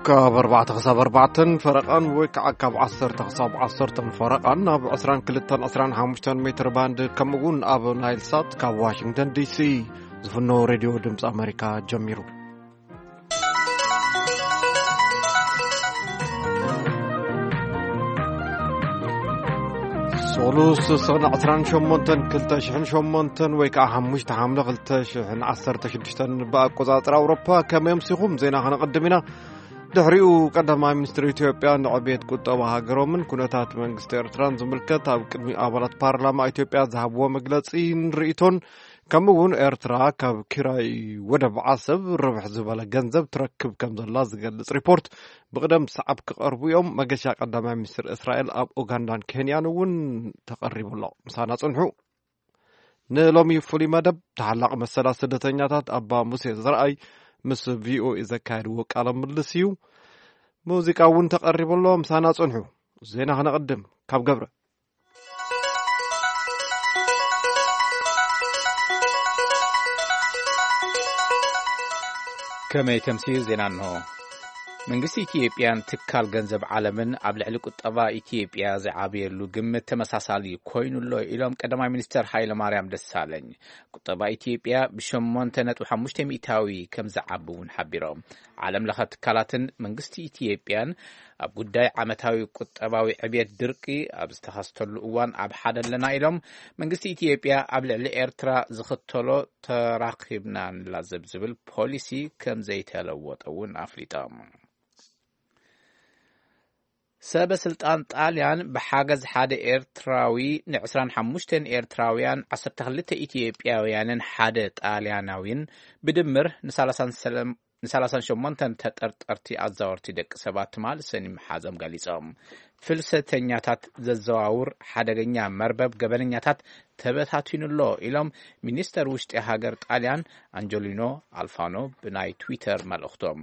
ካብ ኣርባዕተ ክሳብ ኣርባዕተን ፈረቓን ወይ ከዓ ካብ ዓሰርተ ክሳብ ዓሰርተን ፈረቓን ኣብ ዕስራን ክልተን ዕስራን ሓሙሽተን ሜትር ባንድ፣ ከምኡ እውን ኣብ ናይል ሳት ካብ ዋሽንግተን ዲሲ ዝፍኖ ሬድዮ ድምፂ ኣሜሪካ ጀሚሩ። ሶሉስ ሰነ ዕስራን ሸሞንተን ክልተ ሽሕን ሸሞንተን ወይ ከዓ ሓሙሽተ ሓምለ ክልተ ሽሕን ዓሰርተ ሽዱሽተን ብኣቆፃፅራ ኣውሮፓ። ከመይ ኣምሲኹም? ዜና ከነቐድም ኢና። ድሕሪኡ ቀዳማይ ሚኒስትር ኢትዮጵያ ንዕቤት ቁጠባ ሃገሮምን ኩነታት መንግስቲ ኤርትራን ዝምልከት ኣብ ቅድሚ ኣባላት ፓርላማ ኢትዮጵያ ዝሃብዎ መግለጺን ርእይቶን፣ ከምኡ እውን ኤርትራ ካብ ኪራይ ወደብ ዓሰብ ርብሕ ዝበለ ገንዘብ ትረክብ ከም ዘላ ዝገልጽ ሪፖርት ብቕደም ሰዓብ ክቐርቡ እዮም። መገሻ ቀዳማይ ሚኒስትር እስራኤል ኣብ ኡጋንዳን ኬንያን እውን ተቐሪቡ ኣሎ። ምሳና ጽንሑ። ንሎሚ ፍሉይ መደብ ተሓላቒ መሰላት ስደተኛታት ኣባ ሙሴ ዘርኣይ ምስ ቪኦኤ ዘካየድዎ ቃለ ምልልስ እዩ። ሙዚቃ እውን ተቐሪቡ ኣሎ። ምሳና ጽንሑ። ዜና ከነቐድም ካብ ገብረ። ከመይ ተምስዩ ዜና እንሆ። መንግስቲ ኢትዮጵያን ትካል ገንዘብ ዓለምን ኣብ ልዕሊ ቁጠባ ኢትዮጵያ ዝዓብየሉ ግምት ተመሳሳሊ ኮይኑ ኣሎ ኢሎም ቀዳማይ ሚኒስትር ሃይለ ማርያም ደሳለኝ። ቁጠባ ኢትዮጵያ ብሸሞንተ ነጥቢ ሓሙሽተ ሚእታዊ ከም ዝዓቢ እውን ሓቢሮም። ዓለም ለኸ ትካላትን መንግስቲ ኢትዮጵያን ኣብ ጉዳይ ዓመታዊ ቁጠባዊ ዕብየት ድርቂ ኣብ ዝተኸስተሉ እዋን ኣብ ሓደ ኣለና ኢሎም። መንግስቲ ኢትዮጵያ ኣብ ልዕሊ ኤርትራ ዝኽተሎ ተራኺብና ንላዘብ ዝብል ፖሊሲ ከም ዘይተለወጠ እውን ኣፍሊጦም። ሰበ ስልጣን ጣልያን ብሓገዝ ሓደ ኤርትራዊ ን ዕስራን ሓሙሽተን ኤርትራውያን፣ ዓሰርተ ክልተ ኢትዮጵያውያንን ሓደ ጣልያናዊን ብድምር ን ሰላሳን ሰለም-፣ ን ሰላሳን ሸሞንተን ተጠርጠርቲ ኣዛወርቲ ደቂ ሰባት ትማል ሰኒ ምሓዞም ገሊጾም። ፍልሰተኛታት ዘዘዋውር ሓደገኛ መርበብ ገበነኛታት ተበታቲኑ ኣሎ ኢሎም ሚኒስተር ውሽጢ ሃገር ጣልያን ኣንጀሊኖ ኣልፋኖ ብናይ ትዊተር መልእኽቶም።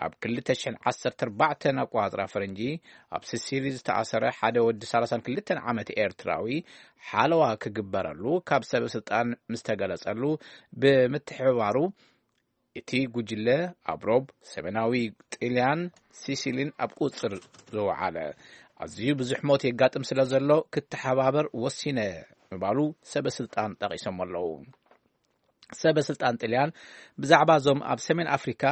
ኣብ ክልተ ሽሕን ዓሰርተ ኣርባዕተን ኣቋጽራ ፈረንጂ ኣብ ሲሲሊ ዝተኣሰረ ሓደ ወዲ ሰላሳን ክልተን ዓመት ኤርትራዊ ሓለዋ ክግበረሉ ካብ ሰበ ስልጣን ምስ ተገለጸሉ ብምትሕብባሩ፣ እቲ ጉጅለ ኣብ ሮብ ሰሜናዊ ጥልያን ሲሲሊን ኣብ ቁጽር ዘውዓለ፣ ኣዝዩ ብዙሕ ሞት የጋጥም ስለ ዘሎ ክተሓባበር ወሲነ ምባሉ ሰበ ስልጣን ጠቒሶም ኣለዉ። ሰበ ስልጣን ጥልያን ብዛዕባ እዞም ኣብ ሰሜን ኣፍሪካ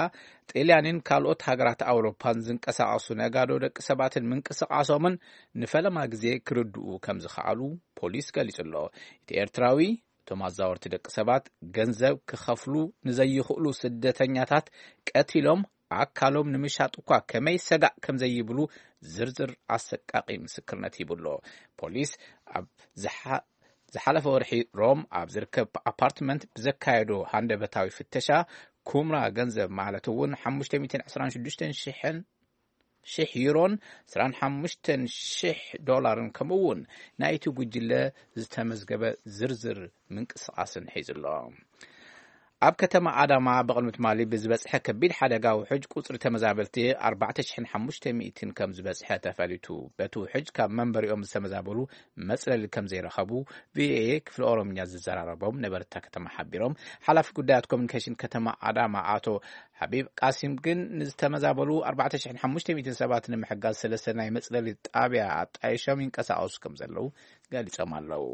ጥልያንን ካልኦት ሃገራት ኣውሮፓን ዝንቀሳቐሱ ነጋዶ ደቂ ሰባትን ምንቅስቃሶምን ንፈለማ ግዜ ክርድኡ ከም ዝኸኣሉ ፖሊስ ገሊጹ ኣሎ። እቲ ኤርትራዊ እቶም ኣዛወርቲ ደቂ ሰባት ገንዘብ ክኸፍሉ ንዘይኽእሉ ስደተኛታት ቀቲሎም ኣካሎም ንምሻጥ እኳ ከመይ ሰጋእ ከም ዘይብሉ ዝርዝር ኣሰቃቂ ምስክርነት ሂቡ ኣሎ። ፖሊስ ኣብ ዝሓ-፣ ዝሓለፈ ወርሒ ሮም ኣብ ዝርከብ ኣፓርትመንት ብዘካየዶ ሃንደበታዊ ፍተሻ፣ ኩምራ ገንዘብ ማለት እውን ሓሙሽተ ሚእትን ዕስራን ሽዱሽተን ሽሕን ሽሕ ዩሮን ዕስራን ሓሙሽተን ሽሕ ዶላርን፣ ከምኡ እውን ናይቲ ጉጅለ ዝተመዝገበ ዝርዝር ምንቅስቓስን ሒዙ ኣሎ። ኣብ ከተማ ኣዳማ ብቕድሚ ትማሊ ብዝበጽሐ ከቢድ ሓደጋ ውሑጅ ቁጽሪ ተመዛበልቲ ኣርባዕተ ሽሕን ሓሙሽተ ሚእትን ከም ዝበጽሐ ተፈሊጡ። በቲ ውሑጅ ካብ መንበሪኦም ዝተመዛበሉ መጽለሊ ከም ዘይረኸቡ ቪኦኤ ክፍሊ ኦሮምኛ ዝዘራረቦም ነበርቲ እታ ከተማ ሓቢሮም። ሓላፊ ጉዳያት ኮሚኒኬሽን ከተማ ኣዳማ ኣቶ ሓቢብ ቃሲም ግን ንዝተመዛበሉ ኣርባዕተ ሽሕን ሓሙሽተ ሚእትን ሰባት ንምሕጋዝ ሰለስተ ናይ መጽለሊ ጣብያ ኣጣይሾም ይንቀሳቐሱ ከም ዘለዉ ገሊጾም ኣለዉ።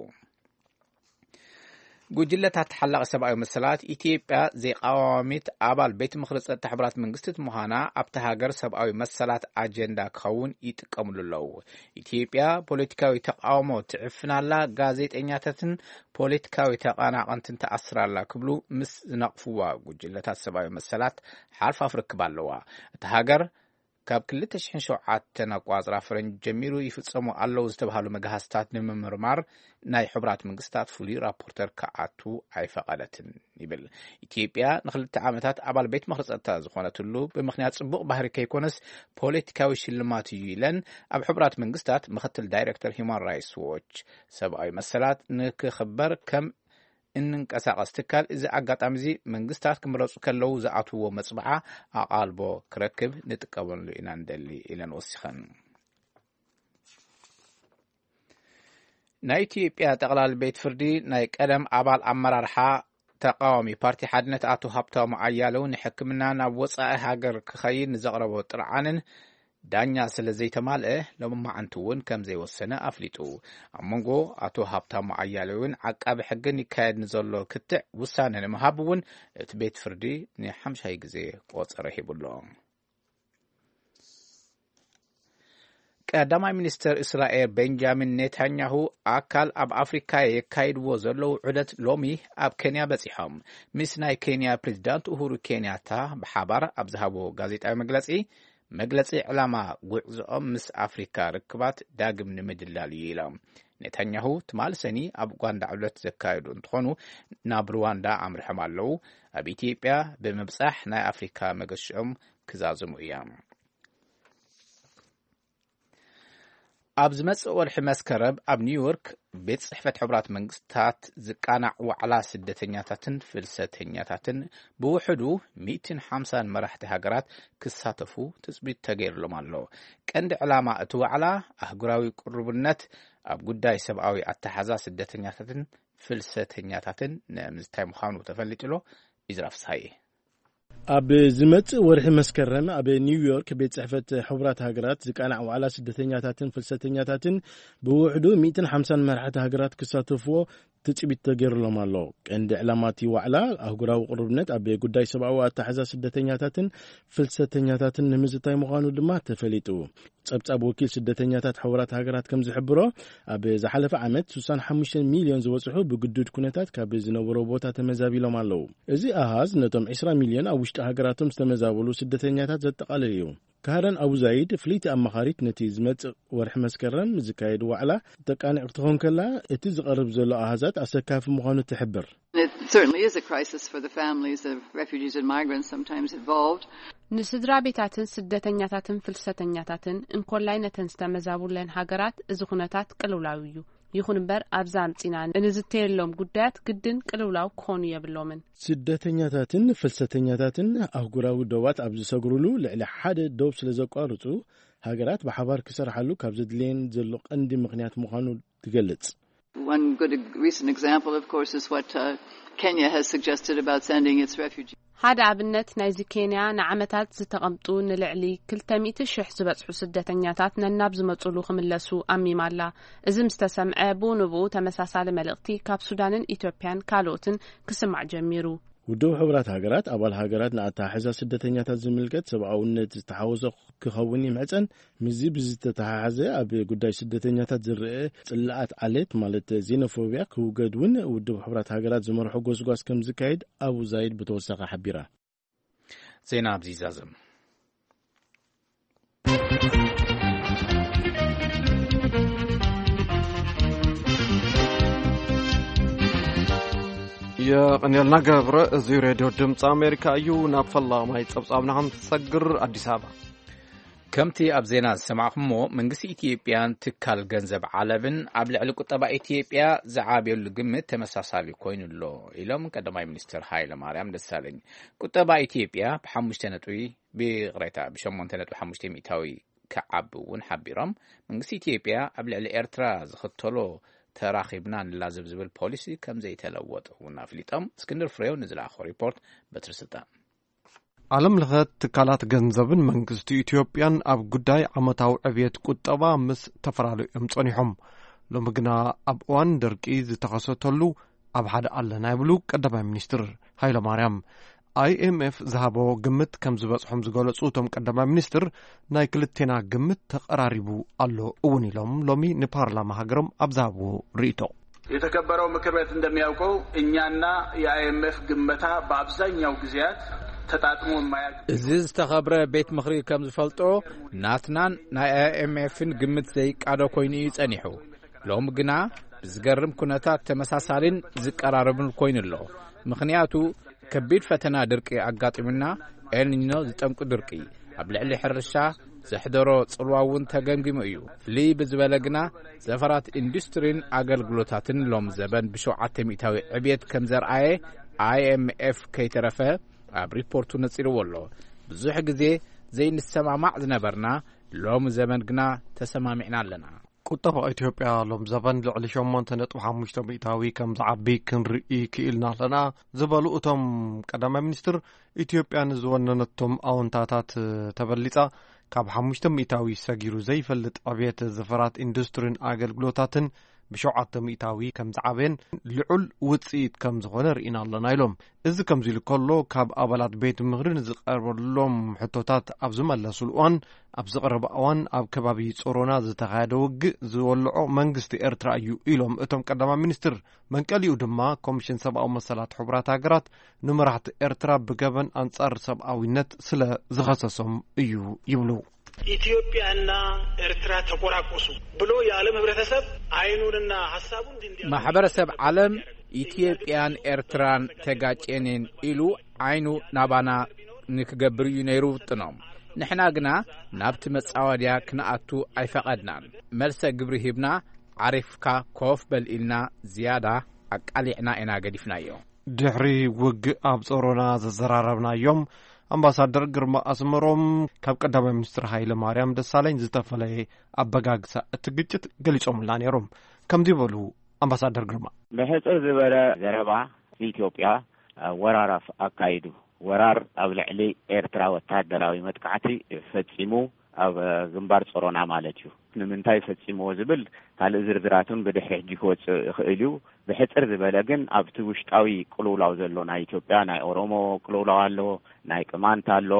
ጉጅለታት ተሓላቒ ሰብኣዊ መሰላት፣ ኢትዮጵያ ዘይቃዋሚት ኣባል ቤት ምኽሪ ጸጥታ ሕቡራት መንግስታት ምዃና ኣብታ ሃገር ሰብኣዊ መሰላት ኣጀንዳ ክኸውን ይጥቀምሉ ኣለዉ። ኢትዮጵያ ፖለቲካዊ ተቃውሞ ትዕፍን ኣላ፣ ጋዜጠኛታትን ፖለቲካዊ ተቐናቐንትን ትኣስር ኣላ ክብሉ ምስ ዝነቕፍዋ፣ ጉጅለታት ሰብኣዊ መሰላት ሓርፋፍ ርክብ ኣለዋ። እታ ሃገር ካብ ክልተ ሽሕን ሸውዓተን ኣቋጽራ ፈረንጂ ጀሚሩ ይፍጸሙ ኣለዉ ዝተባህሉ መግሃስታት ንምምርማር ናይ ሕቡራት መንግስታት ፍሉይ ራፖርተር ክኣቱ ኣይፈቐደትን ይብል። ኢትዮጵያ ንክልተ ዓመታት ኣባል ቤት ምኽሪ ጸጥታ ዝኾነትሉ ብምኽንያት ጽቡቕ ባህሪ ከይኮነስ ፖለቲካዊ ሽልማት እዩ ኢለን ኣብ ሕቡራት መንግስታት ምኽትል ዳይሬክተር ሂውማን ራይትስ ዎች። ሰብኣዊ መሰላት ንክኽበር ከም እንንቀሳቐስ ትካል፣ እዚ ኣጋጣሚ እዚ መንግስታት ክምረጹ ከለዉ ዝኣትውዎ መጽብዓ ኣቓልቦ ክረክብ ንጥቀመሉ ኢና ንደሊ ኢለን ወሲኸን። ናይ ኢትዮጵያ ጠቕላሊ ቤት ፍርዲ ናይ ቀደም ኣባል ኣመራርሓ ተቃዋሚ ፓርቲ ሓድነት ኣቶ ሃብታሙ ኣያለው ንሕክምና ናብ ወጻኢ ሃገር ክኸይድ ንዘቕረቦ ጥርዓንን ዳኛ ስለ ዘይተማልአ፣ ሎሚ መዓንቲ እውን ከም ዘይወሰነ ኣፍሊጡ። ኣብ መንጎ ኣቶ ሃብታሙ ኣያሌውን ዓቃቢ ሕግን ይካየድ ንዘሎ ክትዕ ውሳነ ንምሃብ እውን እቲ ቤት ፍርዲ ንሓምሻይ ግዜ ቆጸረ ሂቡ ኣሎ። ቀዳማይ ሚኒስተር እስራኤል ቤንጃሚን ኔታንያሁ ኣካል ኣብ ኣፍሪካ የካይድዎ ዘለዉ ዑደት ሎሚ ኣብ ኬንያ በጺሖም። ምስ ናይ ኬንያ ፕሬዚዳንት ኡሁሩ ኬንያታ ብሓባር ኣብ ዝሃቦ ጋዜጣዊ መግለጺ፣ መግለጺ ዕላማ ጉዕዞኦም ምስ ኣፍሪካ ርክባት ዳግም ንምድላል እዩ ኢሎም። ኔታንያሁ ትማል ሰኒ ኣብ ኡጋንዳ ዕለት ዘካየዱ እንትኾኑ፣ ናብ ሩዋንዳ ኣምርሖም ኣለዉ። ኣብ ኢትዮጵያ ብምብጻሕ ናይ ኣፍሪካ መገሽኦም ክዛዝሙ እዮም። ኣብ ዝመጽእ ወርሒ መስከረም ኣብ ኒውዮርክ ቤት ጽሕፈት ሕቡራት መንግስታት ዝቃናዕ ዋዕላ ስደተኛታትን ፍልሰተኛታትን ብውሕዱ ሚእትን ሓምሳን መራሕቲ ሃገራት ክሳተፉ ትጽቢት ተገይርሎም ኣሎ። ቀንዲ ዕላማ እቲ ዋዕላ ኣህጉራዊ ቅርቡነት ኣብ ጉዳይ ሰብኣዊ ኣተሓዛ ስደተኛታትን ፍልሰተኛታትን ንምዝታይ ምዃኑ ተፈሊጡ ኣሎ። ኢዝራ ፍስሃየ። ኣብ ዝመጽእ ወርሒ መስከረም ኣብ ኒውዮርክ ቤት ጽሕፈት ሕቡራት ሃገራት ዝቃናዕ ዋዕላ ስደተኛታትን ፍልሰተኛታትን ብውሕዱ ሚእትን ሓምሳን መራሕቲ ሃገራት ክሳተፍዎ ትጽቢት ተገይሩሎም ኣሎ። ቀንዲ ዕላማ እቲ ዋዕላ ኣህጉራዊ ቅርብነት ኣብ ጉዳይ ሰብኣዊ ኣተሓዛ ስደተኛታትን ፍልሰተኛታትን ንምዝታይ ምዃኑ ድማ ተፈሊጡ። ጸብጻብ ወኪል ስደተኛታት ሕቡራት ሃገራት ከም ዝሕብሮ፣ ኣብ ዝሓለፈ ዓመት ስሳን ሓሙሽተን ሚልዮን ዝበጽሑ ብግዱድ ኩነታት ካብ ዝነበሮ ቦታ ተመዛቢሎም ኣለዉ። እዚ ኣሃዝ ነቶም ዕስራ ሚልዮን ኣብ ውሽጢ ሃገራቶም ዝተመዛበሉ ስደተኛታት ዘጠቓልል እዩ። ካረን ኣቡ ዛይድ፣ ፍልይቲ ኣማኻሪት ነቲ ዝመጽእ ወርሒ መስከረም ዝካየድ ዋዕላ ተቃንዕ ክትኾን ከላ፣ እቲ ዝቐርብ ዘሎ ኣሃዛት ኣሰካፊ ምዃኑ ትሕብር። It certainly is a crisis for the families of refugees and migrants sometimes involved. ንስድራ ቤታትን ስደተኛታትን ፍልሰተኛታትን እንኮላይ ነተን ዝተመዛቡለን ሃገራት እዚ ኩነታት ቅልውላው እዩ። ይኹን እምበር ኣብዛ ኣምጺና እንዝተየሎም ጉዳያት ግድን ቅልውላው ክኾኑ የብሎምን። ስደተኛታትን ፍልሰተኛታትን ኣህጉራዊ ዶባት ኣብ ዝሰግሩሉ ልዕሊ ሓደ ዶብ ስለ ዘቋርጹ፣ ሃገራት ብሓባር ክሰርሓሉ ካብ ዘድልየን ዘሎ ቀንዲ ምኽንያት ምዃኑ ትገልጽ። One good ex- recent example, of course, is what uh, Kenya has suggested about sending its refugees. ሓደ ኣብነት ናይዚ ኬንያ ንዓመታት ዝተቐምጡ ንልዕሊ ክልተ ሚእቲ ሽሕ ዝበጽሑ ስደተኛታት ነናብ ዝመጹሉ ክምለሱ ኣሚማ ኣላ። እዚ ምስ ተሰምዐ ብኡ ንብኡ ተመሳሳሊ መልእኽቲ ካብ ሱዳንን ኢትዮጵያን ካልኦትን ክስማዕ ጀሚሩ። ውድብ ሕቡራት ሃገራት ኣባል ሃገራት ንኣተሓሕዛ ስደተኛታት ዝምልከት ሰብኣውነት ዝተሓወሶ ክኸውን ይምሕጸን። ምስዚ ብዝተተሓሓዘ ኣብ ጉዳይ ስደተኛታት ዝረአ ጽላኣት ዓሌት ማለት ዜኖፎብያ ክውገድ እውን ውድብ ሕቡራት ሃገራት ዝመርሖ ጎስጓስ ከም ዝካየድ ኣቡ ዛይድ ብተወሳኺ ሓቢራ። ዜና ኣብዚ ይዛዘም። የቐንየልና ገብረ። እዚ ሬድዮ ድምፂ ኣሜሪካ እዩ። ናብ ፈላማይ ጸብጻብና ክንሰግር፣ ኣዲስ ኣበባ። ከምቲ ኣብ ዜና ዝሰማዕኩሞ፣ መንግስቲ ኢትዮጵያን ትካል ገንዘብ ዓለምን ኣብ ልዕሊ ቁጠባ ኢትዮጵያ ዝዓብየሉ ግምት ተመሳሳሊ ኮይኑ ኣሎ ኢሎም ቀዳማይ ሚኒስትር ሃይለ ማርያም ደሳለኝ። ቁጠባ ኢትዮጵያ ብሓሙሽተ ነጥቢ፣ ብይቕሬታ፣ ብሸሞንተ ነጥቢ ሓሙሽተ ሚእታዊ ክዓቢ እውን ሓቢሮም። መንግስቲ ኢትዮጵያ ኣብ ልዕሊ ኤርትራ ዝኽተሎ ተራኺብና ንላዘብ ዝብል ፖሊሲ ከም ዘይተለወጠ እውን ኣፍሊጦም። እስክንድር ፍሬው ንዝለኣኾ ሪፖርት በትሪ ስልጣን። ዓለም ለኸ ትካላት ገንዘብን መንግስቲ ኢትዮጵያን ኣብ ጉዳይ ዓመታዊ ዕብየት ቁጠባ ምስ ተፈላለዩ እዮም ጸኒሖም። ሎሚ ግና ኣብ እዋን ደርቂ ዝተኸሰተሉ ኣብ ሓደ ኣለና ይብሉ ቀዳማይ ሚኒስትር ሃይለማርያም። ኣይኤምኤፍ ዝሃቦ ግምት ከም ዝበጽሖም ዝገለጹ እቶም ቀዳማይ ሚኒስትር፣ ናይ ክልቴና ግምት ተቐራሪቡ ኣሎ እውን ኢሎም ሎሚ ንፓርላማ ሃገሮም ኣብ ዝሃብዎ ርእይቶ። የተከበረው ምክር ቤት እንደሚያውቀው እኛና የአይኤምኤፍ ግመታ በአብዛኛው ጊዜያት ተጣጥሞ የማያውቅ። እዚ ዝተኸብረ ቤት ምኽሪ ከም ዝፈልጦ፣ ናትናን ናይ ኣይኤምኤፍን ግምት ዘይቃዶ ኮይኑ እዩ ጸኒሑ። ሎም ግና ብዝገርም ኩነታት ተመሳሳሊን ዝቀራረብን ኮይኑ ኣሎ። ምኽንያቱ ከቢድ ፈተና ድርቂ ኣጋጢሙና፣ ኤልኒኖ ዝጠንቁ ድርቂ ኣብ ልዕሊ ሕርሻ ዘሕደሮ ጽልዋ እውን ተገምጊሙ እዩ። ፍልይ ብዝበለ ግና ዘፈራት ኢንዱስትሪን ኣገልግሎታትን ሎም ዘበን ብሸውዓተ ሚእታዊ ዕብየት ከም ዘርኣየ ኣይኤምኤፍ ከይተረፈ ኣብ ሪፖርቱ ነጺርዎ ኣሎ። ብዙሕ ግዜ ዘይንሰማማዕ ዝነበርና ሎም ዘበን ግና ተሰማሚዕና ኣለና። ቁጠባ ኢትዮጵያ ሎም ዘበን ልዕሊ ሸሞንተ ነጥቢ ሓሙሽተ ሚእታዊ ከም ዝዓቢ ክንርኢ ክኢልና ኣለና ዝበሉ እቶም ቀዳማይ ሚኒስትር፣ ኢትዮጵያ ንዝወነነቶም ኣወንታታት ተበሊጻ ካብ ሓሙሽተ ሚእታዊ ሰጊሩ ዘይፈልጥ ዕብየት ዘፈራት ኢንዱስትሪን ኣገልግሎታትን ብሸውዓተ ሚእታዊ ከም ዝዓበየን ልዑል ውጽኢት ከም ዝኾነ ርኢና ኣለና ኢሎም። እዚ ከምዚ ኢሉ ከሎ፣ ካብ ኣባላት ቤት ምኽሪ ንዝቐርበሎም ሕቶታት ኣብ ዝመለሱሉ እዋን፣ ኣብ ዝቐረበ እዋን ኣብ ከባቢ ጾሮና ዝተኻየደ ውግእ ዝወልዖ መንግስቲ ኤርትራ እዩ ኢሎም እቶም ቀዳማይ ሚኒስትር። መንቀሊኡ ድማ ኮሚሽን ሰብኣዊ መሰላት ሕቡራት ሃገራት ንመራሕቲ ኤርትራ ብገበን ኣንጻር ሰብኣዊነት ስለ ዝኸሰሶም እዩ ይብሉ። ኢትዮጵያና ኤርትራ ተቆራቆሱ ብሎ የዓለም ህብረተሰብ አይኑንና ሐሳቡን እንዲያ ማሕበረሰብ ዓለም ኢትዮጵያን ኤርትራን ተጋጨንን ኢሉ ዓይኑ ናባና ንክገብር እዩ ነይሩ ውጥኖም። ንሕና ግና ናብቲ መጻወድያ ክንኣቱ ኣይፈቐድናን። መልሰ ግብሪ ሂብና፣ ዓሪፍካ ኮፍ በል ኢልና ዝያዳ ኣቃሊዕና ኢና ገዲፍናዮ። ድሕሪ ውግእ ኣብ ጾሮና ዘዘራረብናዮም ኣምባሳደር ግርማ ኣስመሮም፣ ካብ ቀዳማይ ሚኒስትር ሃይለ ማርያም ደሳለኝ ዝተፈለየ ኣበጋግሳ እቲ ግጭት ገሊጾምልና ነይሮም። ከምዚ በሉ ኣምባሳደር ግርማ። ብሕጽር ዝበለ ዘረባ፣ ኢትዮጵያ ወራር ኣፍ-፣ ኣካይዱ። ወራር ኣብ ልዕሊ ኤርትራ ወታደራዊ መጥቃዕቲ ፈጺሙ፣ ኣብ ግንባር ጾሮና ማለት እዩ። ንምንታይ ፈጺምዎ ዝብል ካልእ ዝርዝራቱን ብድሕሪ ሕጂ ክወጽእ ይኽእል እዩ። ብሕጽር ዝበለ ግን፣ ኣብቲ ውሽጣዊ ቅልውላው ዘሎ፣ ናይ ኢትዮጵያ፣ ናይ ኦሮሞ ቅልውላው ኣሎ፣ ናይ ቅማንት ኣሎ፣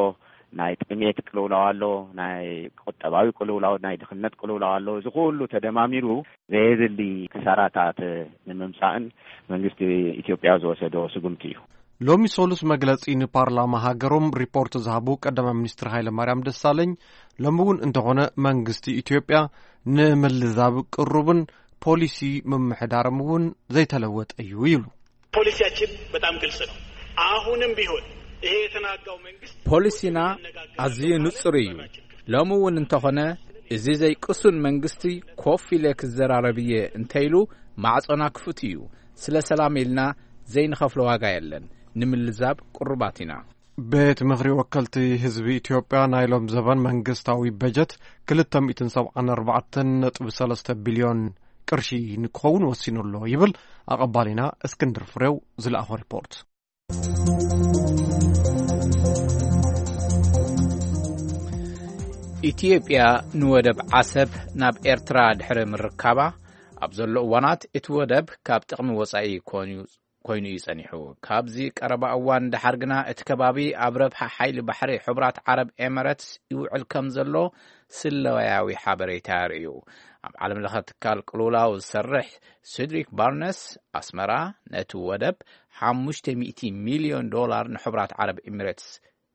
ናይ ጥሜት ቅልውላው ኣሎ፣ ናይ ቁጠባዊ ቅልውላው፣ ናይ ድኽነት ቅልውላው ኣሎ። እዚ ኩሉ ተደማሚሩ ዘየድሊ ክሳራታት ንምምጻእን መንግስቲ ኢትዮጵያ ዝወሰዶ ስጉምቲ እዩ። ሎሚ ሰሉስ መግለጺ ንፓርላማ ሃገሮም ሪፖርት ዝሃቡ ቀዳማይ ሚኒስትር ሃይለ ማርያም ደሳለኝ፣ ሎሚ እውን እንተኾነ መንግስቲ ኢትዮጵያ ንምልዛብ ቅሩብን ፖሊሲ ምምሕዳርም እውን ዘይተለወጠ እዩ ይብሉ። ፖሊሲያችን በጣም ግልጽ ነው። አሁንም ቢሆን ይሄ የተናጋው መንግስት ፖሊሲና ኣዝዩ ንጹር እዩ። ሎሚ እውን እንተኾነ፣ እዚ ዘይቅሱን መንግስቲ ኮፍ ኢለ ክዘራረብ እየ እንተኢሉ፣ ማዕጾና ክፉት እዩ። ስለ ሰላም ኢልና ዘይንኸፍሎ ዋጋ የለን። ንምልዛብ ቅሩባት ኢና። ቤት ምኽሪ ወከልቲ ህዝቢ ኢትዮጵያ ናይ ሎም ዘበን መንግስታዊ በጀት ክልተ ሚእትን ሰብዓን ኣርባዕተን ነጥቢ ሰለስተ ቢልዮን ቅርሺ ንክኸውን ወሲኑ ኣሎ ይብል ኣቐባሊና እስክንድር ፍሬው ዝለኣኾ ሪፖርት። ኢትዮጵያ ንወደብ ዓሰብ ናብ ኤርትራ ድሕሪ ምርካባ፣ ኣብ ዘሎ እዋናት እቲ ወደብ ካብ ጥቕሚ ወጻኢ ኮይኑ፣ ኮይኑ እዩ ጸኒሑ። ካብዚ ቀረባ እዋን ደሓር ግና እቲ ከባቢ ኣብ ረብሓ ሓይሊ ባሕሪ ሕቡራት ዓረብ ኤመረትስ ይውዕል ከም ዘሎ ስለያዊ ሓበሬታ የርእዩ። ኣብ ዓለም ለኸ ትካል ቅልውላው ዝሰርሕ ሴድሪክ ባርነስ፣ ኣስመራ ነቲ ወደብ ሓሙሽተ ሚእቲ ሚልዮን ዶላር ንሕቡራት ዓረብ ኤሚሬትስ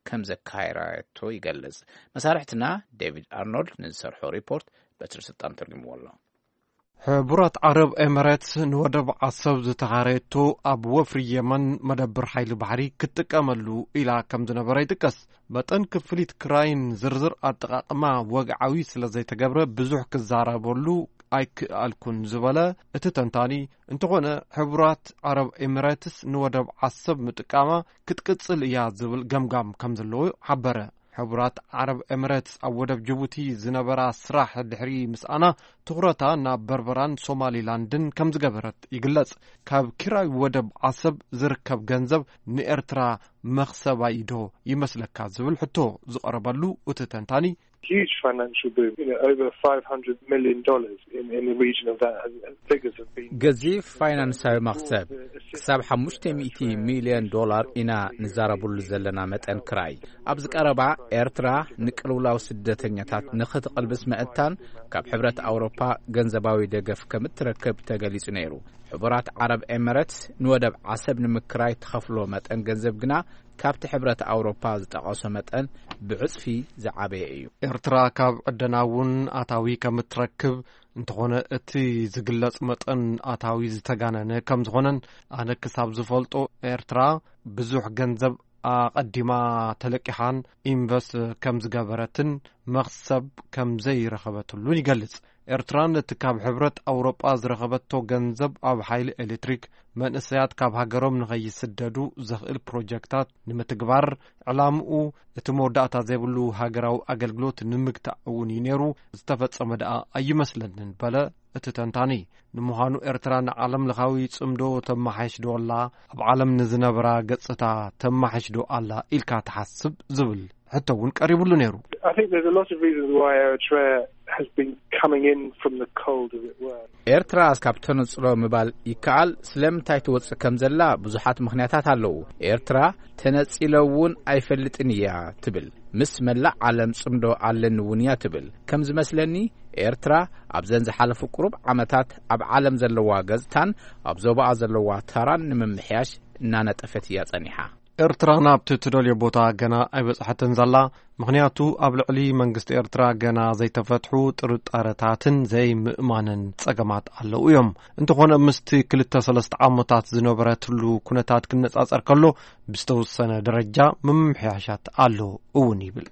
ከም ዘካየራየቶ ይገልጽ። መሳርሕትና ዴቪድ ኣርኖልድ ንዝሰርሖ ሪፖርት በትሪ ስልጣን ተርጉምዎ ኣሎ። ሕቡራት ዓረብ ኤምሬትስ ንወደብ ዓሰብ ዝተኻረየቶ ኣብ ወፍሪ የመን መደብር ሓይሊ ባሕሪ ክትጥቀመሉ ኢላ ከም ዝነበረ ይጥቀስ። መጠን ክፍሊት ክራይን ዝርዝር ኣጠቓቕማ ወግዓዊ ስለ ዘይተገብረ ብዙሕ ክዛረበሉ ኣይክኣልኩን ዝበለ እቲ ተንታኒ፣ እንተኾነ ሕቡራት ዓረብ ኤምሬትስ ንወደብ ዓሰብ ምጥቃማ ክትቅጽል እያ ዝብል ገምጋም ከም ዘለዎ ሓበረ። ሕቡራት ዓረብ ኤምሬትስ ኣብ ወደብ ጅቡቲ ዝነበራ ስራሕ ድሕሪ ምስኣና፣ ትኹረታ ናብ በርበራን ሶማሊላንድን ከም ዝገበረት ይግለጽ። ካብ ኪራይ ወደብ ዓሰብ ዝርከብ ገንዘብ ንኤርትራ መኽሰብ ኣይዶ ይመስለካ ዝብል ሕቶ ዝቐረበሉ እቲ ተንታኒ፣ huge financial boom, you know, over five hundred million dollars in, in the region of that. And, and figures have been ገዚፍ ፋይናንሳዊ መኽሰብ ክሳብ ሓሙሽተ ሚእቲ ሚልዮን ዶላር ኢና ንዛረብሉ ዘለና መጠን ክራይ። ኣብዚ ቀረባ ኤርትራ ንቅልውላው ስደተኛታት ንኽትቕልብስ መእታን ካብ ሕብረት ኣውሮፓ ገንዘባዊ ደገፍ ከም እትረክብ ተገሊጹ ነይሩ። ሕቡራት ዓረብ ኤምሬትስ ንወደብ ዓሰብ ንምክራይ ትኸፍሎ መጠን ገንዘብ ግና ካብቲ ሕብረት ኣውሮፓ ዝጠቐሶ መጠን ብዕጽፊ ዝዓበየ እዩ። ኤርትራ ካብ ዕደና እውን ኣታዊ ከም እትረክብ፣ እንተኾነ እቲ ዝግለጽ መጠን ኣታዊ ዝተጋነነ ከም ዝኾነን፣ ኣነ ክሳብ ዝፈልጦ ኤርትራ ብዙሕ ገንዘብ ኣቐዲማ ተለቂሓን ኢንቨስት ከም ዝገበረትን መኽሰብ ከም ዘይረኸበትሉን ይገልጽ። ኤርትራ ነቲ ካብ ሕብረት ኣውሮጳ ዝረኸበቶ ገንዘብ ኣብ ሓይሊ ኤሌክትሪክ መንእሰያት ካብ ሃገሮም ንኸይስደዱ ዘኽእል ፕሮጀክታት ንምትግባር ዕላምኡ እቲ መወዳእታ ዘይብሉ ሃገራዊ ኣገልግሎት ንምግታእ እውን እዩ ነይሩ፣ ዝተፈጸመ ደኣ ኣይመስለንን በለ እቲ ተንታኒ። ንምዃኑ ኤርትራ ንዓለም ለኻዊ ጽምዶ ተመሓይሽ ዶ ኣላ? ኣብ ዓለም ንዝነብራ ገጽታ ተመሓይሽ ዶ ኣላ ኢልካ ትሓስብ ዝብል ሕቶ እውን ቀሪብሉ ነይሩ። I think there's a lot of reasons why Eritrea has been coming in from the cold, as it were. ኤርትራ እስካብ ተነጽሎ ምባል ይከኣል። ስለምንታይ ትወጽእ ከም ዘላ ብዙሓት ምኽንያታት ኣለዉ። ኤርትራ ተነጺለ እውን ኣይፈልጥን እያ ትብል። ምስ መላእ ዓለም ጽምዶ ኣለኒ እውን እያ ትብል። ከም ዝመስለኒ ኤርትራ ኣብዘን ዝሓለፉ ቁሩብ ዓመታት ኣብ ዓለም ዘለዋ ገጽታን ኣብ ዞባኣ ዘለዋ ታራን ንምምሕያሽ እናነጠፈት እያ ጸኒሓ። ኤርትራ ናብቲ ትደልዮ ቦታ ገና ኣይበጽሐትን ዘላ። ምኽንያቱ ኣብ ልዕሊ መንግስቲ ኤርትራ ገና ዘይተፈትሑ ጥርጣረታትን ዘይምእማንን ጸገማት ኣለዉ እዮም። እንተኾነ ምስቲ ክልተ ሰለስተ ዓመታት ዝነበረትሉ ኩነታት ክነጻጸር ከሎ ብዝተወሰነ ደረጃ ምምሕያሻት ኣሎ እውን ይብል።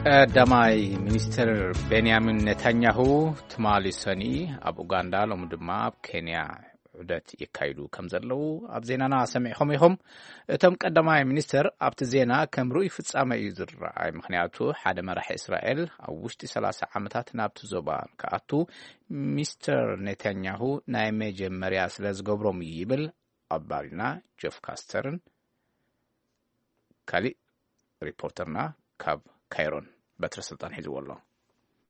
ቀዳማይ ሚኒስትር ቤንያሚን ኔታንያሁ ትማሊ ሰኒ ኣብ ኡጋንዳ፣ ሎሚ ድማ ኣብ ኬንያ ዑደት የካይዱ ከም ዘለዉ ኣብ ዜናና ሰሚዕኹም ኢኹም። እቶም ቀዳማይ ሚኒስትር ኣብቲ ዜና ከም ርኡይ ፍጻመ እዩ ዝረኣይ፣ ምኽንያቱ ሓደ መራሒ እስራኤል ኣብ ውሽጢ ሰላሳ ዓመታት ናብቲ ዞባ ክኣቱ ሚስተር ኔታንያሁ ናይ መጀመርያ ስለ ዝገብሮም እዩ ይብል ኣባልና ጆፍ ካስተርን ካሊእ ሪፖርተርና ካብ ካይሮን በትረ ስልጣን ሒዝዎ ኣሎ።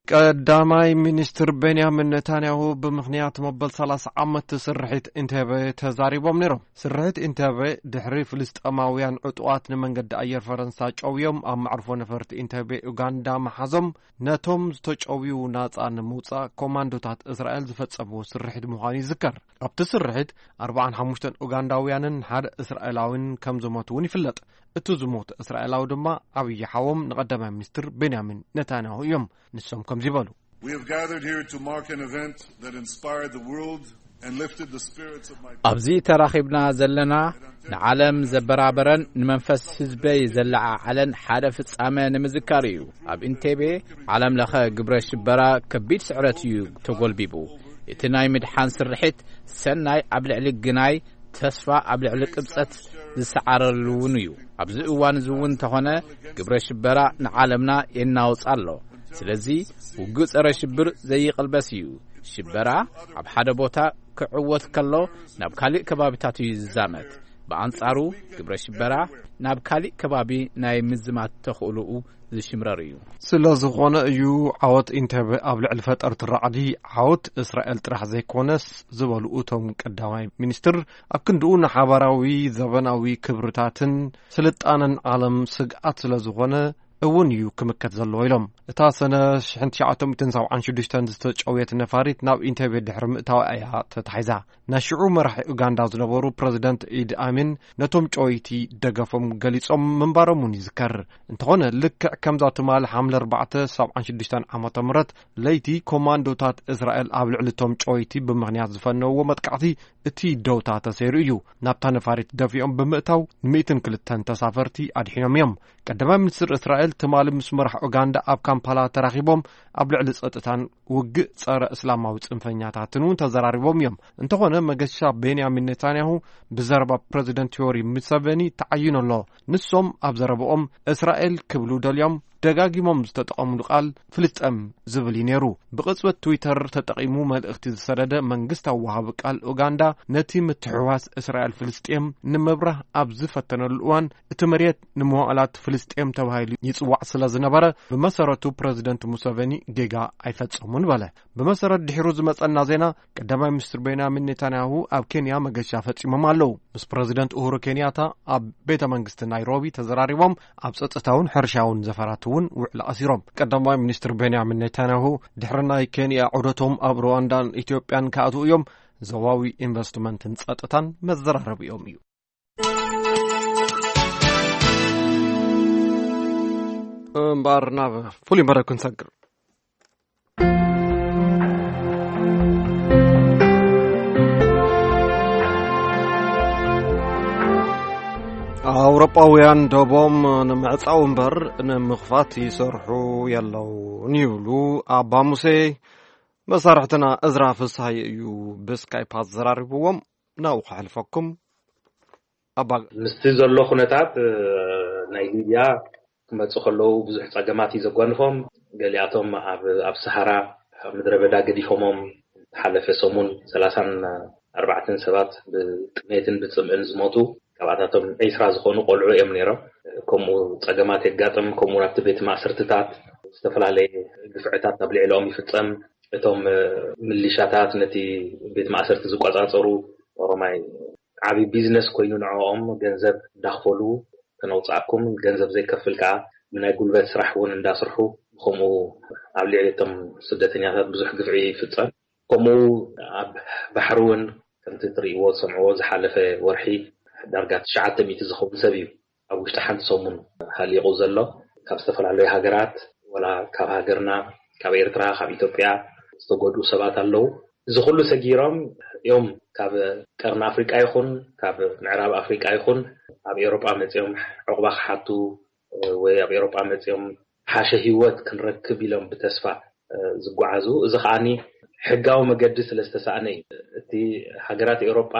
ቀዳማይ ሚኒስትር ቤንያሚን ኔታንያሁ ብምኽንያት መበል ሰላሳ ዓመት ስርሒት ኢንቴቤ ተዛሪቦም ነይሮም። ስርሒት ኢንቴቤ ድሕሪ ፍልስጤማውያን ዕጡቓት ንመንገዲ ኣየር ፈረንሳ ጨውዮም ኣብ መዕርፎ ነፈርቲ ኢንቴቤ ኡጋንዳ መሓዞም ነቶም ዝተጨውዩ ናጻ ንምውጻእ ኮማንዶታት እስራኤል ዝፈጸምዎ ስርሒት ምዃኑ ይዝከር። ኣብቲ ስርሒት ኣርባዓን ሓሙሽተን ኡጋንዳውያንን ሓደ እስራኤላዊን ከም ዝሞቱ እውን ይፍለጥ። እቲ ዝሞት እስራኤላዊ ድማ ዓብዪ ሓዎም ንቐዳማይ ሚኒስትር ቤንያሚን ኔታንያሁ እዮም። ንሶም ከምዚ ይበሉ። We have gathered here to mark an event that inspired the world and lifted the spirits of my ኣብዚ ተራኺብና ዘለና ንዓለም ዘበራበረን ንመንፈስ ህዝበይ ዘለዓዓለን ሓደ ፍጻመ ንምዝካር እዩ። ኣብ ኢንቴቤ ዓለም ለኸ ግብረ ሽበራ ከቢድ ስዕረት እዩ ተጎልቢቡ። እቲ ናይ ምድሓን ስርሒት ሰናይ ኣብ ልዕሊ ግናይ ተስፋ ኣብ ልዕሊ ቅብጸት ዝሰዓረሉ እውን እዩ። ኣብዚ እዋን እዚ እውን እንተኾነ ግብረ ሽበራ ንዓለምና የናውጽ ኣሎ። ስለዚ ውግእ ጸረ ሽብር ዘይቕልበስ እዩ። ሽበራ ኣብ ሓደ ቦታ ክዕወት ከሎ ናብ ካልእ ከባቢታት እዩ ዝዛመት። ብኣንጻሩ ግብረ ሽበራ ናብ ካልእ ከባቢ ናይ ምዝማት ተኽእሎኡ ዝሽምረር እዩ። ስለ ዝኾነ እዩ ዓወት ኢንተበ ኣብ ልዕሊ ፈጠርቲ ራዕዲ ዓወት እስራኤል ጥራሕ ዘይኮነስ ዝበሉ እቶም ቀዳማይ ሚኒስትር፣ ኣብ ክንድኡ ንሓባራዊ ዘበናዊ ክብርታትን ስልጣነን ዓለም ስግኣት ስለ ዝኾነ እውን እዩ ክምከት ዘለዎ ኢሎም። እታ ሰነ ሽሕን ትሽዓተ ሚእትን ሰብዓን ሽዱሽተን ዝተጨውየት ነፋሪት ናብ ኢንተቤ ድሕሪ ምእታዋ እያ ተታሒዛ። ናይ ሽዑ መራሒ ኡጋንዳ ዝነበሩ ፕረዚደንት ኢድ ኣሚን ነቶም ጨወይቲ ደገፎም ገሊጾም ምንባሮም እውን ይዝከር። እንተኾነ ልክዕ ከምዛ ትማሊ ሓምለ ኣርባዕተ ሰብዓን ሽዱሽተን ዓመተ ምህረት ለይቲ ኮማንዶታት እስራኤል ኣብ ልዕሊ እቶም ጨወይቲ ብምኽንያት ዝፈነውዎ መጥቃዕቲ እቲ ደውታ ተሰይሩ እዩ። ናብታ ነፋሪት ደፊኦም ብምእታው ሚእትን ክልተን ተሳፈርቲ ኣድሒኖም እዮም። ቀዳማይ ሚኒስትር እስራኤል ትማሊ ምስ መራሕ ኡጋንዳ ኣብ ካምፓላ ተራኺቦም ኣብ ልዕሊ ጸጥታን ውግእ ጸረ እስላማዊ ጽንፈኛታትን እውን ተዘራሪቦም እዮም። እንተኾነ መገሻ ቤንያሚን ኔታንያሁ ብዘረባ ፕረዚደንት ዮሪ ሙሰቨኒ ተዓይኑ ኣሎ። ንሶም ኣብ ዘረባኦም እስራኤል ክብሉ ደልዮም ደጋጊሞም ዝተጠቐምሉ ቃል ፍልስጤም ዝብል እዩ ነይሩ። ብቕጽበት ትዊተር ተጠቒሙ መልእኽቲ ዝሰደደ መንግስታዊ ወሃቢ ቃል ኡጋንዳ ነቲ ምትሕውዋስ እስራኤል ፍልስጤም ንምብራህ ኣብ ዝፈተነሉ እዋን እቲ መሬት ንመዋእላት ፍልስጤም ተባሂሉ ይጽዋዕ ስለ ዝነበረ ብመሰረቱ ፕረዚደንት ሙሰቨኒ ጌጋ ኣይፈጸሙን በለ። ብመሰረት ድሒሩ ዝመጸና ዜና ቀዳማይ ሚኒስትር ቤንያሚን ኔታንያሁ ኣብ ኬንያ መገሻ ፈጺሞም ኣለዉ። ምስ ፕረዚደንት ኡሁሩ ኬንያታ ኣብ ቤተ መንግስቲ ናይሮቢ ተዘራሪቦም ኣብ ጸጥታውን ሕርሻውን ዘፈራት እውን ውዕል ኣሲሮም። ቀዳማይ ሚኒስትር ቤንያሚን ኔታንያሁ ድሕሪ ናይ ኬንያ ዑደቶም ኣብ ሩዋንዳን ኢትዮጵያን ክኣትዉ እዮም። ዞባዊ ኢንቨስትመንትን ጸጥታን መዘራረቢኦም እዩ። እምበኣር ናብ ፍሉይ መደብ ክንሰግር። ኣውሮጳውያን ደቦም ንምዕጻው እምበር ንምኽፋት ይሰርሑ የለውን ይብሉ ኣባ ሙሴ። መሳርሕትና እዝራ ፍስሃየ እዩ ብስካይፕ ኣዘራሪብዎም። ናብኡ ከሕልፈኩም። ኣባ ምስቲ ዘሎ ኩነታት ናይ ሊብያ ክመፁ ከለዉ ብዙሕ ፀገማት እዩ ዘጓንፎም። ገሊኣቶም ኣብ ኣብ ሰሃራ ኣብ ምድረ በዳ ገዲፎሞም። ዝሓለፈ ሰሙን ሰላሳን ኣርባዕተን ሰባት ብጥሜትን ብፅምእን ዝሞቱ፣ ካብኣታቶም ዒስራ ዝኾኑ ቆልዑ እዮም ነይሮም። ከምኡ ፀገማት የጋጥም። ከምኡ ናብቲ ቤት ማእሰርትታት ዝተፈላለየ ግፍዕታት ኣብ ልዕሊኦም ይፍፀም። እቶም ምሊሻታት ነቲ ቤት ማእሰርቲ ዝቆፃፀሩ ኦሮማይ ዓብዪ ቢዝነስ ኮይኑ ንዕኦም ገንዘብ እንዳኽፈሉ ከነውፅኣኩም፣ ገንዘብ ዘይከፍል ከዓ ብናይ ጉልበት ስራሕ እውን እንዳስርሑ ብከምኡ ኣብ ልዕሊ እቶም ስደተኛታት ብዙሕ ግፍዒ ይፍፀም። ከምኡ ኣብ ባሕሪ እውን ከምቲ ትርእይዎ ትሰምዕዎ ዝሓለፈ ወርሒ ዳርጋ ትሽዓተ ሚእቲ ዝኸውን ሰብ እዩ ኣብ ውሽጢ ሓንቲ ሰሙን ሃሊቑ ዘሎ። ካብ ዝተፈላለዩ ሃገራት፣ ወላ ካብ ሃገርና፣ ካብ ኤርትራ፣ ካብ ኢትዮጵያ ዝተጎድኡ ሰባት ኣለዉ። እዚ ኩሉ ሰጊሮም እዮም ካብ ቀርኒ ኣፍሪቃ ይኹን ካብ ምዕራብ ኣፍሪቃ ይኹን ኣብ ኤውሮጳ መጺኦም ዕቑባ ክሓቱ ወይ ኣብ ኤውሮጳ መጺኦም ሓሸ ህይወት ክንረክብ ኢሎም ብተስፋ ዝጓዓዙ። እዚ ከዓኒ ሕጋዊ መገዲ ስለ ዝተሳእነ እዩ። እቲ ሃገራት ኤውሮጳ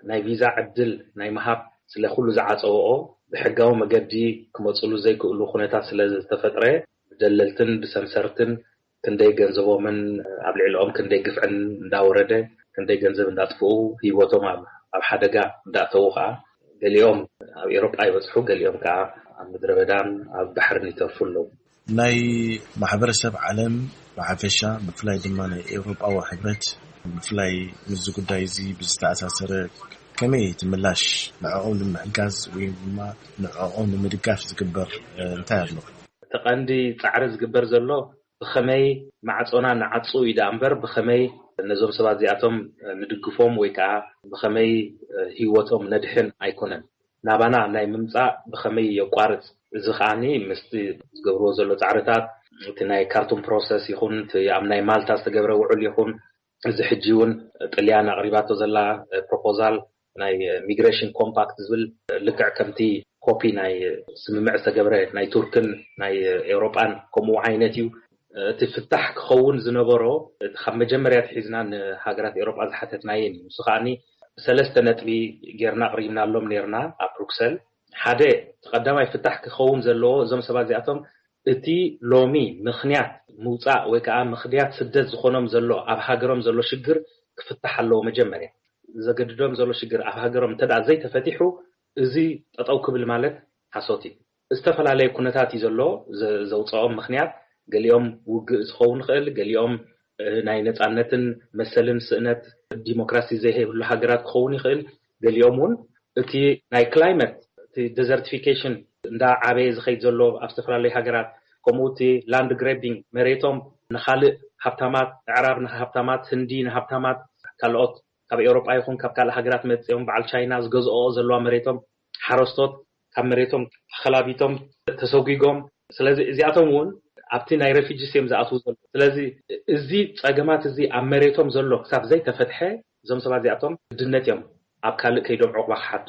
ናይ ቪዛ ዕድል ናይ ምሃብ ስለ ኩሉ ዝዓጸወኦ፣ ብሕጋዊ መገዲ ክመጽሉ ዘይክእሉ ኩነታት ስለ ዝተፈጥረ፣ ብደለልትን ብሰምሰርትን ክንደይ ገንዘቦምን ኣብ ልዕሊኦም ክንደይ ግፍዕን እንዳወረደ፣ ክንደይ ገንዘብ እንዳጥፍኡ፣ ህይወቶም ኣብ ኣብ ሓደጋ እንዳእተዉ ከዓ፣ ገሊኦም ኣብ ኤውሮጳ ይበጽሑ፣ ገሊኦም ከዓ ኣብ ምድረ በዳን ኣብ ባሕርን ይተርፉ ኣለዉ። ናይ ማሕበረሰብ ዓለም ብሓፈሻ፣ ብፍላይ ድማ ናይ ኤውሮጳዊ ሕብረት፣ ብፍላይ ምስዚ ጉዳይ እዚ ብዝተኣሳሰረ ከመይ እቲ ምላሽ ንዕኦም ንምሕጋዝ ወይ ድማ ንዕኦም ንምድጋፍ ዝግበር፣ እ፣ እንታይ ኣሎ? እቲ ቀንዲ ጻዕሪ ዝግበር ዘሎ ብኸመይ ማዕጾና ንዓጹ እዩ ደኣ እምበር፣ ብኸመይ ነዞም ሰባት እዚኣቶም ንድግፎም ወይ ከዓ ብኸመይ ህይወቶም ነድሕን ኣይኮነን። ናባና ናይ ምምጻእ ብኸመይ የቋርጽ? እዚ ከዓኒ ምስቲ ዝገብርዎ ዘሎ ጻዕርታት፣ እቲ ናይ ካርቱም ፕሮሰስ ይኹን፣ እቲ ኣብ ናይ ማልታ ዝተገብረ ውዕል ይኹን፣ እዚ ሕጂ እውን ጥልያን ኣቕሪባቶ ዘላ ፕሮፖዛል ናይ ሚግሬሽን ኮምፓክት ዝብል፣ ልክዕ ከምቲ ኮፒ ናይ ስምምዕ ዝተገብረ ናይ ቱርክን ናይ ኤውሮጳን ከምኡ ዓይነት እዩ። እቲ ፍታሕ ክኸውን ዝነበሮ፣ እቲ ካብ መጀመርያ ኣትሒዝና ንሃገራት ኤውሮጳ ዝሓተትናየን እዩ። ንሱ ከዓኒ ብሰለስተ ነጥቢ ጌርና ኣቕሪብናሎም ኔርና ኣብ ብሩክሰል። ሓደ፣ እቲ ቀዳማይ ፍታሕ ክኸውን ዘለዎ፣ እዞም ሰባት እዚኣቶም እቲ ሎሚ ምኽንያት ምውጻእ ወይ ከዓ ምኽንያት ስደት ዝኾኖም ዘሎ፣ ኣብ ሃገሮም ዘሎ ሽግር ክፍታሕ ኣለዎ። መጀመርያ ዘገድዶም ዘሎ ሽግር ኣብ ሃገሮም እንተ ደኣ ዘይተፈቲሑ፣ እዚ ጠጠው ክብል ማለት ሓሶት እዩ። ዝተፈላለየ ኩነታት እዩ ዘሎ ዘ-፣ ዘውፅኦም ምኽንያት። ገሊኦም ውግእ ዝኸውን ይኽእል፣ ገሊኦም፣ እ፣ ናይ ነፃነትን መሰልን ስእነት ዲሞክራሲ ዘይብሉ ሃገራት ክኸውን ይኽእል፣ ገሊኦም እውን እቲ ናይ ክላይመት፣ እቲ ዴዘርቲፊኬሽን እንዳ ዓበየ ዝኸይድ ዘሎ ኣብ ዝተፈላለዩ ሃገራት፣ ከምኡ እቲ ላንድ ግሬቢንግ፣ መሬቶም ንኻልእ ሃብታማት፣ ኣዕራብ ንሃብታማት፣ ህንዲ ንሃብታማት፣ ካልኦት ካብ ኤውሮጳ ይኹን ካብ ካልእ ሃገራት መጺኦም በዓል ቻይና ዝገዝኦ ዘለዋ መሬቶም ሓረስቶት ካብ መሬቶም ተኸላቢቶም ተሰጒጎም። ስለዚ እዚኣቶም እውን ኣብቲ ናይ ሬፊጂስ እዮም ዝኣትዉ ዘለዉ። ስለዚ እዚ ጸገማት እዚ ኣብ መሬቶም ዘሎ ክሳብ ዘይተፈትሐ እዞም ሰባት እዚኣቶም ግድነት እዮም ኣብ ካልእ ከይዶም ዕቑባ ክሓቱ።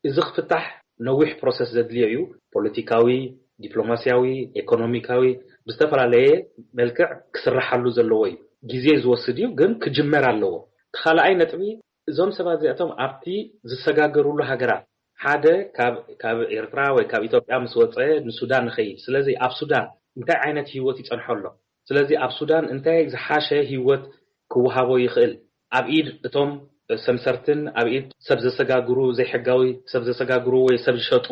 እዚ ክፍታሕ ነዊሕ ፕሮሰስ ዘድልዮ እዩ። ፖለቲካዊ፣ ዲፕሎማስያዊ፣ ኤኮኖሚካዊ ብዝተፈላለየ መልክዕ ክስርሓሉ ዘለዎ እዩ። ግዜ ዝወስድ እዩ፣ ግን ክጅመር ኣለዎ። እቲ ካልኣይ ነጥቢ እዞም ሰባት እዚኣቶም ኣብቲ ዝሰጋገሩሉ ሃገራት ሓደ ካብ ካብ ኤርትራ ወይ ካብ ኢትዮጵያ ምስ ወፀ ንሱዳን ንኸይድ። ስለዚ ኣብ ሱዳን እንታይ ዓይነት ህይወት ይፀንሖ ኣሎ? ስለዚ ኣብ ሱዳን እንታይ ዝሓሸ ህይወት ክወሃቦ ይኽእል? ኣብ ኢድ እቶም ሰምሰርትን ኣብ ኢድ ሰብ ዘሰጋግሩ፣ ዘይሕጋዊ ሰብ ዘሰጋግሩ ወይ ሰብ ዝሸጡ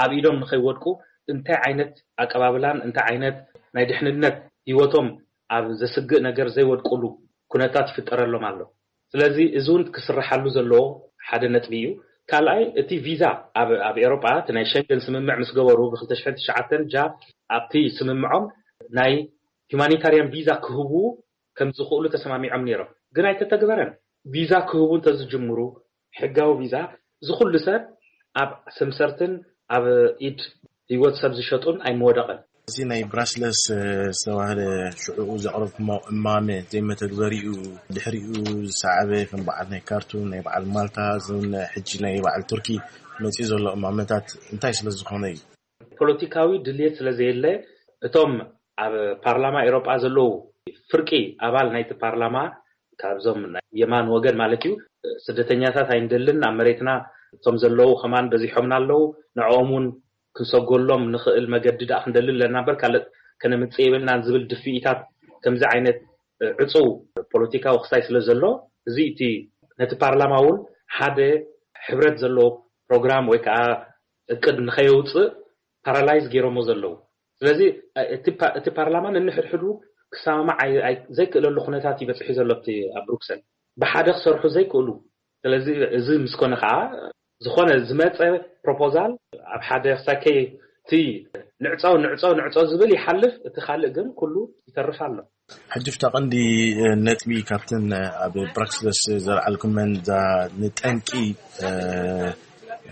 ኣብ ኢዶም ንኸይወድቁ እንታይ ዓይነት ኣቀባብላን እንታይ ዓይነት ናይ ድሕንነት ህይወቶም ኣብ ዘስግእ ነገር ዘይወድቁሉ ኩነታት ይፍጠረሎም ኣሎ። ስለዚ እዚ እውን ክስርሓሉ ዘለዎ ሓደ ነጥቢ እዩ። ካልኣይ እቲ ቪዛ ኣብ ኣብ ኤውሮጳ እቲ ናይ ሸንገን ስምምዕ ምስ ገበሩ ብ ክልተ ሽሕን ትሽዓተን ጃ ኣብቲ ስምምዖም ናይ ሁማኒታርያን ቪዛ ክህቡ ከም ዝኽእሉ ተሰማሚዖም ነይሮም፣ ግን ኣይተተግበረን። ቪዛ ክህቡ እንተዝጅምሩ ሕጋዊ ቪዛ እዚ ኩሉ ሰብ ኣብ ሰምሰርትን ኣብ ኢድ ህይወት ሰብ ዝሸጡን ኣይምወደቐን። እዚ ናይ ብራስለስ ዝተባህለ ሽዑኡ ዘቕረብኩሞ እማመ ዘይመተግበሪኡ ድሕሪኡ ዝሰዓበ ከም በዓል ናይ ካርቱም ናይ በዓል ማልታ እዞን ሕጂ ናይ በዓል ቱርኪ መጺኡ ዘሎ እማመታት እንታይ ስለ ዝኾነ እዩ? ፖለቲካዊ ድልየት ስለ ዘየለ፣ እቶም ኣብ ፓርላማ ኤሮጳ ዘለዉ ፍርቂ ኣባል ናይቲ ፓርላማ፣ ካብዞም ናይ የማን ወገን ማለት እዩ፣ ስደተኛታት ኣይንደልን፣ ኣብ መሬትና እቶም ዘለዉ ከማን በዚሖምና ኣለዉ፣ ንዕኦም እውን ክንሰጎሎም ንኽእል መገዲ ደኣ ክንደሊ ኣለና እምበር፣ ካልእ ከነምጽእ የብልናን ዝብል ድፍኢታት፣ ከምዚ ዓይነት ዕጹው ፖለቲካዊ ክስታይ ስለ ዘሎ፣ እዚ እቲ ነቲ ፓርላማ እውን ሓደ ሕብረት ዘለዎ ፕሮግራም ወይ ከዓ እቅድ ንኸየውፅእ ፓራላይዝ ገይሮሞ ዘለዉ። ስለዚ እቲ ፓ-፣ እቲ ፓርላማ ነንሕድሕዱ ክሰማማዕ ኣይ-፣ ኣይ-፣ ዘይክእለሉ ኩነታት እዩ በፂሑ ዘሎ ኣብቲ ኣብ ብሩክሰል። ብሓደ ክሰርሑ ዘይክእሉ። ስለዚ እዚ ምስ ኮነ ከዓ ዝኾነ ዝመፀ ፕሮፖዛል ኣብ ሓደ ሳከይ እቲ ንዕፀው፣ ንዕፀው፣ ንዕፀው ዝብል ይሓልፍ፣ እቲ ካልእ ግን ኩሉ ይተርፍ ኣሎ። ሕጂ ፍታ ቀንዲ ነጥቢ ካብተን ኣብ ብራክስለስ ዘልዓልኩመን እዛ ንጠንቂ፣ እ፣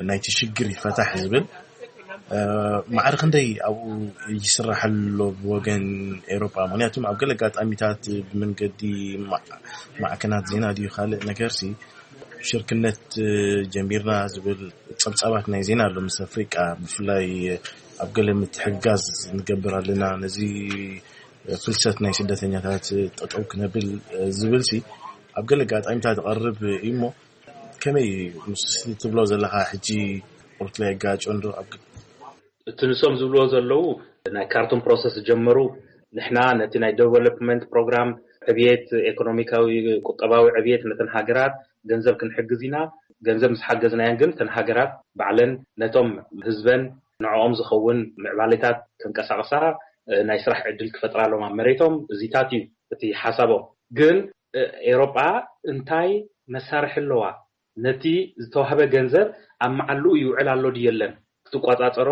ናይቲ ሽግር ይፈታሕ ዝብል፣ እ፣ ማዕረ ክንደይ ኣብኡ ይስራሕ ኣሎ ብወገን ኤውሮጳ? ምኽንያቱም ኣብ ገለ ኣጋጣሚታት ብመንገዲ ማ-፣ ማዕከናት ዜና ድዩ ካልእ ነገርሲ ሽርክነት፣ እ፣ ጀሚርና ዝብል ጸብጻባት ናይ ዜና ኣሎ ምስ ኣፍሪቃ፣ ብፍላይ ኣብ ገለ ምትሕግጋዝ ንገብር ኣለና፣ ነዚ ፍልሰት ናይ ስደተኛታት ጠጠው ክነብል፣ እ፣ ዝብልሲ ኣብ ገለ ኣጋጣሚታት ይቐርብ እዩ እሞ፣ ከመይ ምስ ትብሎ ዘለኻ ሕጂ ቁርት ላይ ጋጮ እንዶ ኣብ እቲ ንሶም ዝብልዎ ዘለዉ ናይ ካርቱም ፕሮሰስ ዝጀመሩ፣ ንሕና ነቲ ናይ ዴቨሎፕመንት ፕሮግራም ዕብየት፣ ኢኮኖሚካዊ ቁጠባዊ ዕብየት ነተን ሃገራት ገንዘብ ክንሕግዝ ኢና። ገንዘብ ምስ ሓገዝናየን ግን እተን ሃገራት ባዕለን ነቶም ህዝበን ንዕኦም ዝኸውን ምዕባሌታት ከንቀሳቕሳ፣ እ፣ ናይ ስራሕ ዕድል ክፈጥራሎም ኣብ መሬቶም፣ እዚታት እዩ እቲ ሓሳቦም። ግን፣ እ፣ ኤውሮጳ እንታይ መሳርሒ ኣለዋ? ነቲ ዝተዋህበ ገንዘብ ኣብ መዓልኡ ይውዕል ኣሎ ድዩ የለን ክትቆጻጸሮ፣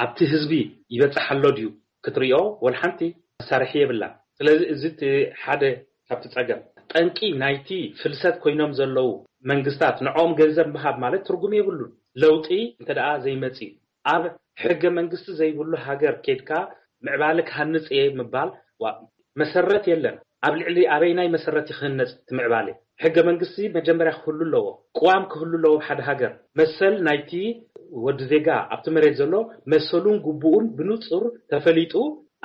ኣብቲ ህዝቢ ይበጽሕ ኣሎ ድዩ ክትሪኦ፣ ወላ ሓንቲ መሳርሒ የብላን። ስለዚ እዚ እቲ ሓደ ካብቲ ጸገም። ጠንቂ ናይቲ ፍልሰት ኮይኖም ዘለዉ መንግስታት ንዕኦም ገንዘብ ምሃብ ማለት ትርጉም የብሉን። ለውጢ እንተ ደኣ ዘይመጽእ፣ ኣብ ሕገ መንግስቲ ዘይብሉ ሃገር ኬድካ ምዕባለ ክሃንጽ እየ ምባል፣ ዋ፣ መሰረት የለን። ኣብ ልዕሊ ኣበይናይ መሰረት እዩ ክህነጽ እቲ ምዕባለ? ሕገ መንግስቲ መጀመርያ ክህሉ ኣለዎ። ቅዋም ክህሉ ኣለዎ። ሓደ ሃገር መሰል ናይቲ ወዲ ዜጋ ኣብቲ መሬት ዘሎ መሰሉን ግቡኡን ብንጹር ተፈሊጡ፣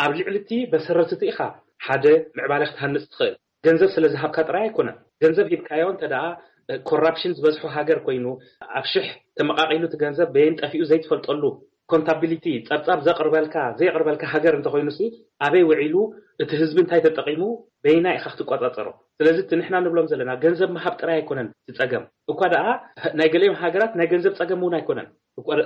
ኣብ ልዕሊ እቲ መሰረት እቲ ኢኻ ሓደ ምዕባለ ክትሃንጽ ትኽእል። ገንዘብ ስለ ዝሃብካ ጥራይ ኣይኮነን። ገንዘብ ሂብካዮ እንተ ደኣ፣ እ፣ ኮራፕሽን ዝበዝሖ ሃገር ኮይኑ፣ ኣብ ሽሕ ተመቓቒሉ እቲ ገንዘብ በየን ጠፊኡ ዘይትፈልጠሉ፣ ኮንታቢሊቲ፣ ጸብጻብ ዘቕርበልካ፣ ዘየቕርበልካ ሃገር እንተኾይኑሲ፣ ኣበይ ውዒሉ፣ እቲ ህዝቢ እንታይ ተጠቒሙ፣ በይና ኢኻ ክትቆጻጸሮ። ስለዚ እቲ ንሕና ንብሎም ዘለና፣ ገንዘብ ምሃብ ጥራይ ኣይኮነን እቲ ጸገም። እኳ ደኣ ናይ ገሊኦም ሃገራት ናይ ገንዘብ ጸገም እውን ኣይኮነን።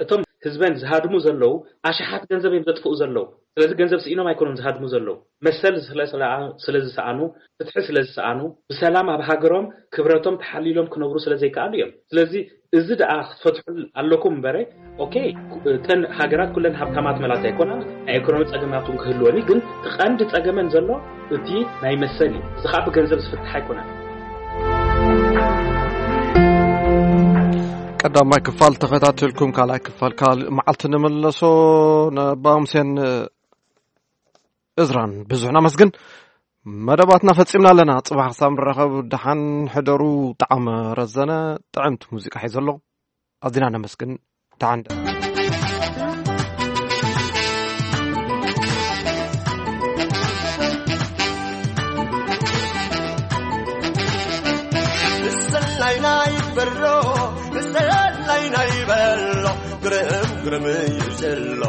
እቶም ህዝበን ዝሃድሙ ዘለዉ ኣሽሓት ገንዘብ እዮም ዘጥፍኡ ዘለዉ። ስለዚ ገንዘብ ስኢኖም ኣይኮኑን ዝሃድሙ ዘለዉ። መሰል ስለ-፣ ስለ-፣ ስለ ዝሰኣኑ፣ ፍትሒ ስለ ዝሰኣኑ፣ ብሰላም ኣብ ሃገሮም ክብረቶም ተሓሊሎም ክነብሩ ስለ ዘይከኣሉ እዮም። ስለዚ እዚ ደኣ ክትፈትሑ ኣለኩም እምበረ፣ ኦኬ፣ እተን ሃገራት ኩለን ሃብታማት መላት ኣይኮናን፣ ናይ ኢኮኖሚ ጸገማት እውን ክህልወን እዩ። ግን እቲ ቀንዲ ጸገመን ዘሎ እቲ ናይ መሰል እዩ። እዚ ኸኣ ብገንዘብ ዝፍታሕ ኣይኮነን። ቀዳማይ ክፋል ተኸታተልኩም፣ ካልኣይ ክፋል ካልእ መዓልቲ ንመለሶ። ነባምሴን እዝራን ብዙሕ ነመስግን። መደባትና ፈጺምና ኣለና። ጽባሕ ክሳብ ንራኸብ ደሓን ሕደሩ። ጣዕመ ረዘነ ጥዕምቲ ሙዚቃ ሒዘ ኣሎ። ኣዚና ነመስግን። ደሓን ንሰላይና ይበሎ፣ ንሰላይና ይበሎ፣ ግርም ግርም እዩ ዘሎ።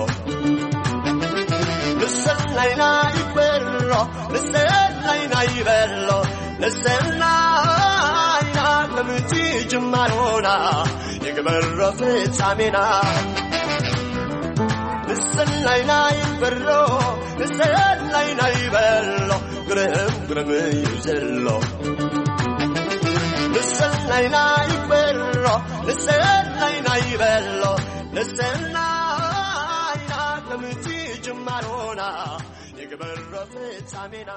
ንሰላይና ይበሎ፣ ንሰላይና ይበሎ፣ ንሰላይና ከምቲ ጅማሮና ይግበሮ ፍጻሜና። ንሰላይና ይበሎ፣ ንሰላይና ይበሎ፣ ግርም ግርም እዩ ዘሎ። ንሰላይና ይበሎ፣ ንሰላይና ይበሎ፣ ንሰላይና ከምቲ ጅማሮና ይግበሮ ፍጻሜና።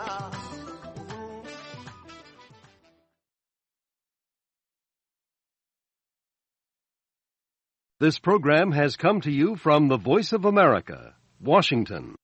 This program has come to you from the Voice of America, Washington.